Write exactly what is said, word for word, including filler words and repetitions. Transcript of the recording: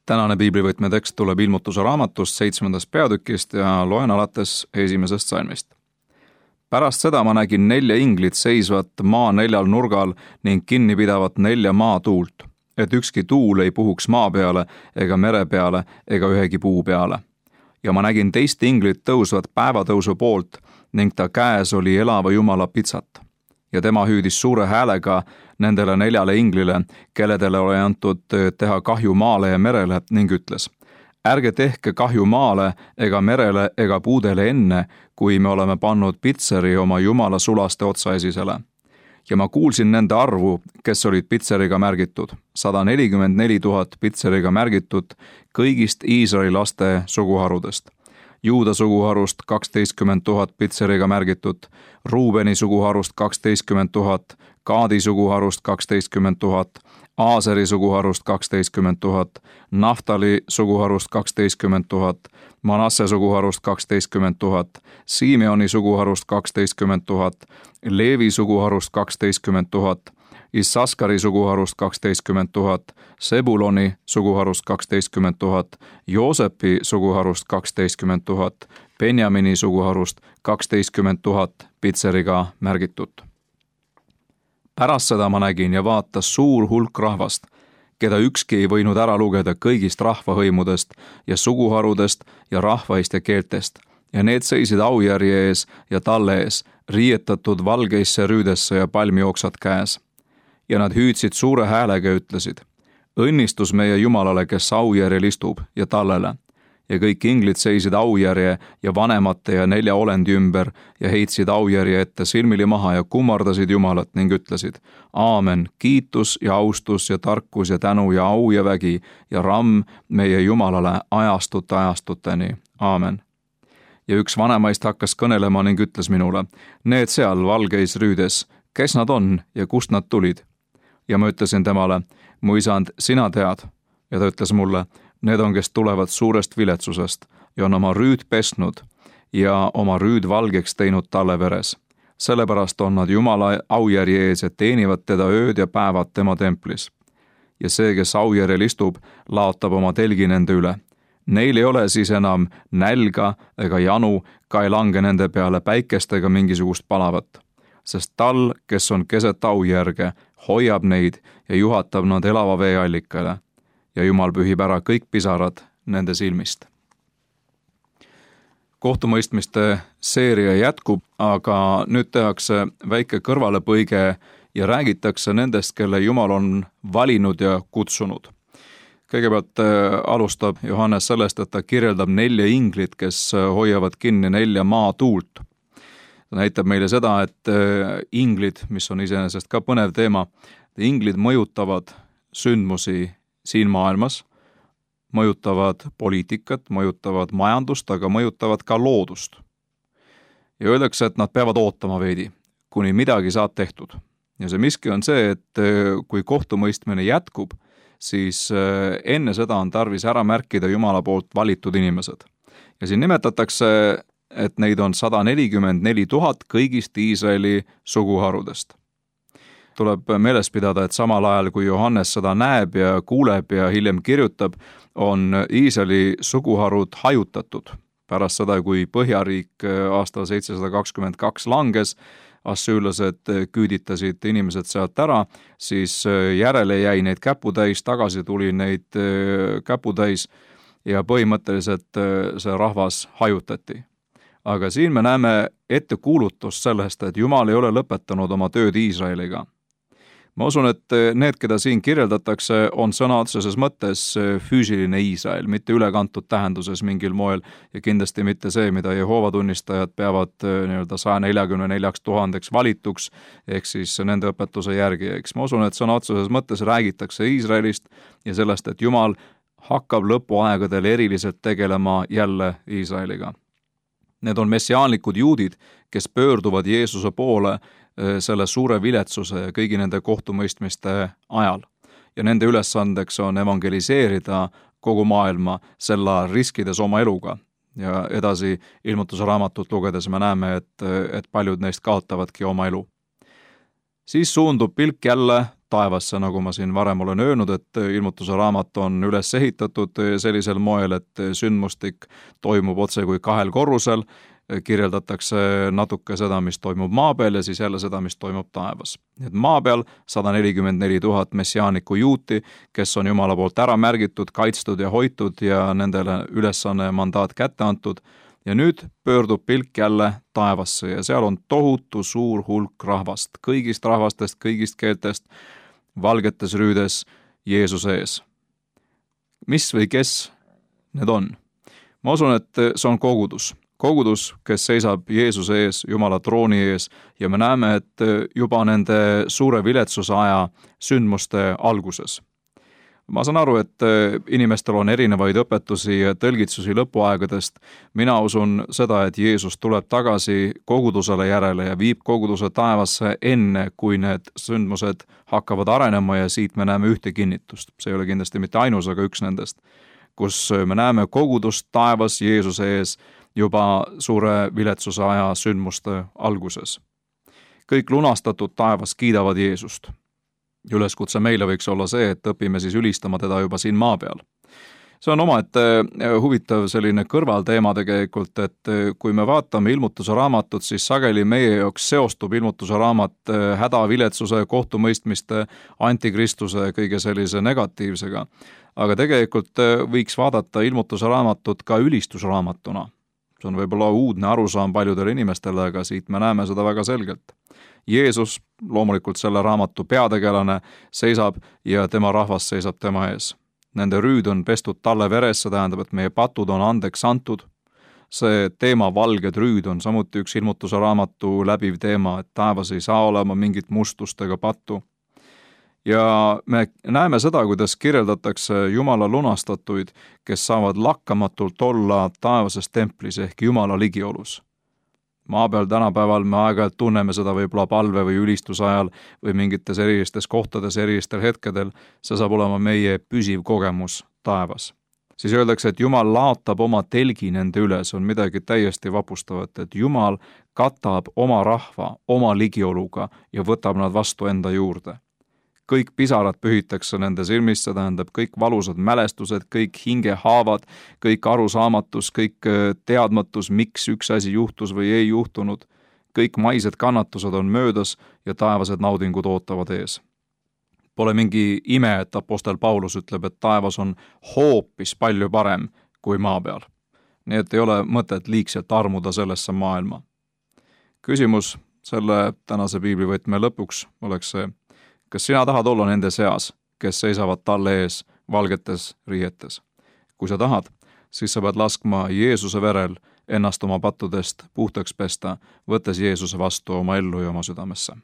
Tänane piiblivõtme tekst tuleb ilmutuse raamatust seitsmendast peatükist ja loen alates esimesest salmist. Pärast seda ma nägin nelja inglit seisvat maa neljal nurgal ning kinni pidavat nelja maatuult, et ükski tuul ei puhuks maa peale ega mere peale ega ühegi puu peale. Ja ma nägin teist inglit tõusvat päevatõusu poolt ning ta käes oli elava Jumala pitsat. Ja tema hüüdis suure häälega nendele neljale inglile, kelledele oli antud teha kahju maale ja merele ning ütles: ärge tehke kahju maale ega merele ega puudele enne, kui me oleme pannud pitseri oma Jumala sulaste otsaesisele. Ja ma kuulsin nende arvu, kes olid pitseriga märgitud, sada nelikümmend neli tuhat pitseriga märgitud kõigist Iisraeli laste suguharudest. Juuda suguharust kaksteistkümmend tuhat pitseriga märgitud, Ruubeni suguharust kaksteistkümmend tuhat, Gaadi suguharust kaksteistkümmend tuhat, Aaseri suguharust kaksteistkümmend tuhat, Naftali suguharust kaksteistkümmend tuhat, Manasse suguharust kaksteistkümmend tuhat, Simeoni suguharust kaksteistkümmend tuhat, Leevi suguharust kaksteistkümmend tuhat, Issaskari suguharust kaksteistkümmend tuhat, Sebuloni suguharust kaksteistkümmend tuhat, Joosepi suguharust kaksteistkümmend tuhat, Benjamini suguharust kaksteistkümmend tuhat pitseriga märgitud. Pärast seda ma nägin ja vaatas suur hulk rahvast, keda ükski ei võinud ära lugeda kõigist rahvahõimudest ja suguharudest ja rahvaist ja keeltest, ja need seisid aujärje ees ja talle ees, riietatud valgeisse rüüdesse ja palmioksad käes. Ja nad hüüdsid suure häälega ja ütlesid: õnnistus meie Jumalale, kes aujärjel istub, ja tallele. Ja kõik inglid seisid aujärje ja vanemate ja nelja olendi ümber ja heitsid aujärje ette silmili maha ja kummardasid Jumalat ning ütlesid: aamen, kiitus ja austus ja tarkus ja tänu ja au ja vägi ja ramm meie Jumalale ajastute ajastuteni. Aamen. Ja üks vanemaist hakkas kõnelema ning ütles minule: need seal valgeis rüüdes, kes nad on ja kust nad tulid? Ja ma ütlesin temale: mu isand, sina tead. Ja ta ütles mulle: need on, kes tulevad suurest viletsusest ja on oma rüüd pesnud ja oma rüüd valgeks teinud talle veres. Sellepärast on nad Jumala aujärje ees ja teenivad teda ööd ja päevad tema templis. Ja see, kes aujärjel istub, laotab oma telgi nende üle. Neil ei ole siis enam nälga ega janu, ka ei lange nende peale päikest ega mingisugust palavat. Sest tal, kes on keset aujärge, hoiab neid ja juhatab nad elava veeallikale. Ja Jumal pühib ära kõik pisarad nende silmist. Kohtumõistmiste seeria jätkub, aga nüüd tehakse väike kõrvalepõige ja räägitakse nendest, kelle Jumal on valinud ja kutsunud. Kõigepealt alustab Johannes sellest, et ta kirjeldab nelja inglit, kes hoiavad kinni nelja maatuult. Ta näitab meile seda, et inglid, mis on iseenesest ka põnev teema, inglid mõjutavad sündmusi siin maailmas, mõjutavad poliitikat, mõjutavad majandust, aga mõjutavad ka loodust. Ja öeldakse, et nad peavad ootama veidi, kuni midagi saab tehtud. Ja see miski on see, et kui kohtumõistmine jätkub, siis enne seda on tarvis ära märkida Jumala poolt valitud inimesed. Ja siin nimetatakse, et neid on sada nelikümmend neli tuhat kõigist Iisraeli suguharudest. Tuleb meeles pidada, et samal ajal, kui Johannes seda näeb ja kuuleb ja hiljem kirjutab, on Iisraeli suguharud hajutatud. Pärast seda, kui Põhjariik aastal seitsesada kakskümmend kaks langes, assüürlased küüditasid inimesed sealt ära, siis järele jäi neid käputäis, tagasi tuli neid käputäis ja põhimõtteliselt see rahvas hajutati. Aga siin me näeme ettekuulutust sellest, et Jumal ei ole lõpetanud oma tööd Iisraeliga. Ma usun, et need, keda siin kirjeldatakse, on sõna otseses mõttes füüsiline Iisrael, mitte ülekantud tähenduses mingil moel ja kindlasti mitte see, mida Jehoova tunnistajad peavad nii-öelda saja neljakümne neljaks tuhandeks valituks, ehk siis nende õpetuse järgi. Eks ma usun, et sõna otseses mõttes räägitakse Iisraelist ja sellest, et Jumal hakkab lõpuaegadel eriliselt tegelema jälle Iisraeliga. Need on messiaanlikud juudid, kes pöörduvad Jeesuse poole selle suure viletsuse ja kõigi nende kohtumõistmiste ajal. Ja nende ülesandeks on evangeliseerida kogu maailma selle riskides oma eluga. Ja edasi ilmutuse raamatut lugedes me näeme, et, et paljud neist kaotavadki oma elu. Siis suundub pilk jälle taevasse, nagu ma siin varem olen öelnud, et ilmutuse raamat on üles ehitatud sellisel moel, et sündmustik toimub otse kui kahel korrusel, kirjeldatakse natuke seda, mis toimub maa peal ja siis jälle seda, mis toimub taevas. Et maa peal sada nelikümmend neli tuhat messiaaniku juuti, kes on Jumala poolt ära märgitud, kaitstud ja hoitud ja nendele ülesanne mandaat kätte antud. Ja nüüd pöördub pilk jälle taevasse ja seal on tohutu suur hulk rahvast, kõigist rahvastest, kõigist keeltest, valgetes rüüdes Jeesuse ees. Mis või kes need on? Ma usun, et see on kogudus. Kogudus, kes seisab Jeesuse ees, Jumala trooni ees ja me näeme, et juba nende suure viletsuse aja sündmuste alguses. Ma saan aru, et inimestel on erinevaid õpetusi ja tõlgitsusi lõpuaegadest. Mina usun seda, et Jeesus tuleb tagasi kogudusele järele ja viib koguduse taevasse enne, kui need sündmused hakkavad arenema ja siit me näeme ühte kinnitust. See ei ole kindlasti mitte ainus, aga üks nendest, kus me näeme kogudust taevas Jeesuse ees juba suure viletsuse aja sündmuste alguses. Kõik lunastatud taevas kiidavad Jeesust. Üleskutse meile võiks olla see, et õpime siis ülistama teda juba siin maa peal. See on omaette huvitav selline kõrvalteema tegelikult, et kui me vaatame ilmutuse raamatut, siis sageli meie jaoks seostub ilmutuse raamat häda, viletsuse, kohtumõistmiste, antikristuse, kõige sellise negatiivsega. Aga tegelikult võiks vaadata ilmutuse raamatut ka ülistusraamatuna. See on võib-olla uudne arusaam paljudele inimestele, aga siit me näeme seda väga selgelt. Jeesus, loomulikult selle raamatu peategelane, seisab ja tema rahvas seisab tema ees. Nende rüüd on pestud talle veres, see tähendab, et meie patud on andeks antud. See teema valged rüüd on samuti üks ilmutuse raamatu läbiv teema, et taevas ei saa olema mingit mustust ega pattu. Ja me näeme seda, kuidas kirjeldatakse Jumala lunastatuid, kes saavad lakkamatult olla taevases templis ehk Jumala ligiolus. Maa peal tänapäeval me aeg-ajalt tunneme seda võib-olla palve või ülistuse ajal või mingites erilistes kohtades, erilistel hetkedel. See saab olema meie püsiv kogemus taevas. Siis öeldakse, et Jumal laotab oma telgi nende üle, see on midagi täiesti vapustavat, et Jumal katab oma rahva oma ligioluga ja võtab nad vastu enda juurde. Kõik pisarad pühitakse nende silmis, see tähendab kõik valusad mälestused, kõik hingehaavad, kõik arusaamatus, kõik teadmatus, miks üks asi juhtus või ei juhtunud. Kõik maised kannatused on möödas ja taevased naudingud ootavad ees. Pole mingi ime, et apostel Paulus ütleb, et taevas on hoopis palju parem kui maa peal. Nii et ei ole mõtet liigselt armuda sellesse maailma. Küsimus selle tänase piiblivõtme lõpuks oleks see, kas sina tahad olla nende seas, kes seisavad talle ees valgetes riietes? Kui sa tahad, siis sa pead laskma Jeesuse verel ennast oma pattudest puhtaks pesta, võttes Jeesuse vastu oma ellu ja oma südamesse.